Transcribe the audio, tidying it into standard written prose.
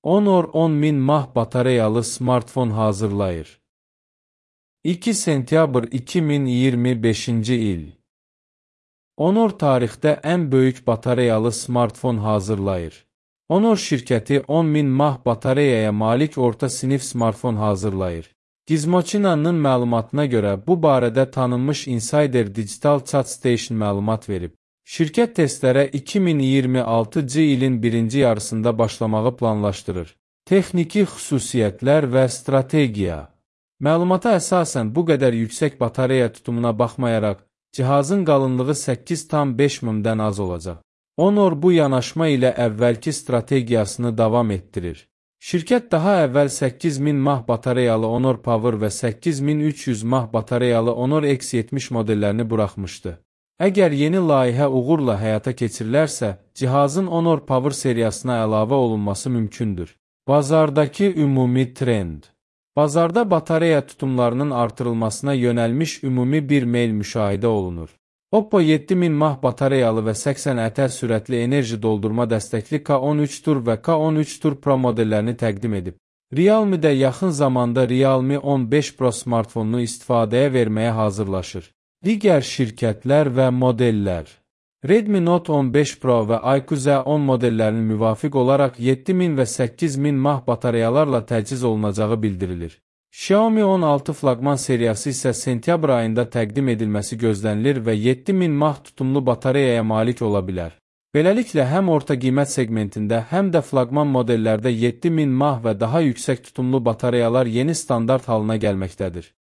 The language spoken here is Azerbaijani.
Honor 10.000 mAh batareyalı smartfon hazırlayır. 2 sentyabr 2025-ci il. Honor tarixdə ən böyük batareyalı smartfon hazırlayır. Honor şirkəti 10.000 mAh batareyaya malik orta sinif smartfon hazırlayır. Gizmochina'nın məlumatına görə bu barədə tanınmış Insider Digital Chat Station məlumat verib. Şirkət testlərə 2026-cı ilin birinci yarısında başlamağı planlaşdırır. Texniki xüsusiyyətlər və strategiya. Məlumata əsasən bu qədər yüksək batareya tutumuna baxmayaraq, cihazın qalınlığı 8,5 mm-dən az olacaq. Honor bu yanaşma ilə əvvəlki strategiyasını davam etdirir. Şirkət daha əvvəl 8000 mAh batareyalı Honor Power və 8300 mAh batareyalı Honor X70 modellərini buraxmışdı. Əgər yeni layihə uğurla həyata keçirilərsə, cihazın Honor Power seriyasına əlavə olunması mümkündür. Bazardakı ümumi trend. Bazarda batareya tutumlarının artırılmasına yönəlmiş ümumi bir meyl müşahidə olunur. Oppo 7000 mAh batareyalı və 80 ətər sürətli enerji doldurma dəstəkli K13 Tur və K13 Tur Pro modellərini təqdim edib. Realme də yaxın zamanda Realme 15 Pro smartfonunu istifadəyə verməyə hazırlaşır. Digər şirkətlər və modellər. Redmi Note 15 Pro və iQOO Z10 modellərinin müvafiq olaraq 7000 və 8000 mAh batareyalarla təchiz olunacağı bildirilir. Xiaomi 16 flaqman seriyası isə sentyabr ayında təqdim edilməsi gözlənilir və 7000 mAh tutumlu batareyaya malik ola bilər. Beləliklə, həm orta qiymət segmentində, həm də flaqman modellərdə 7000 mAh və daha yüksək tutumlu batareyalar yeni standart halına gəlməkdədir.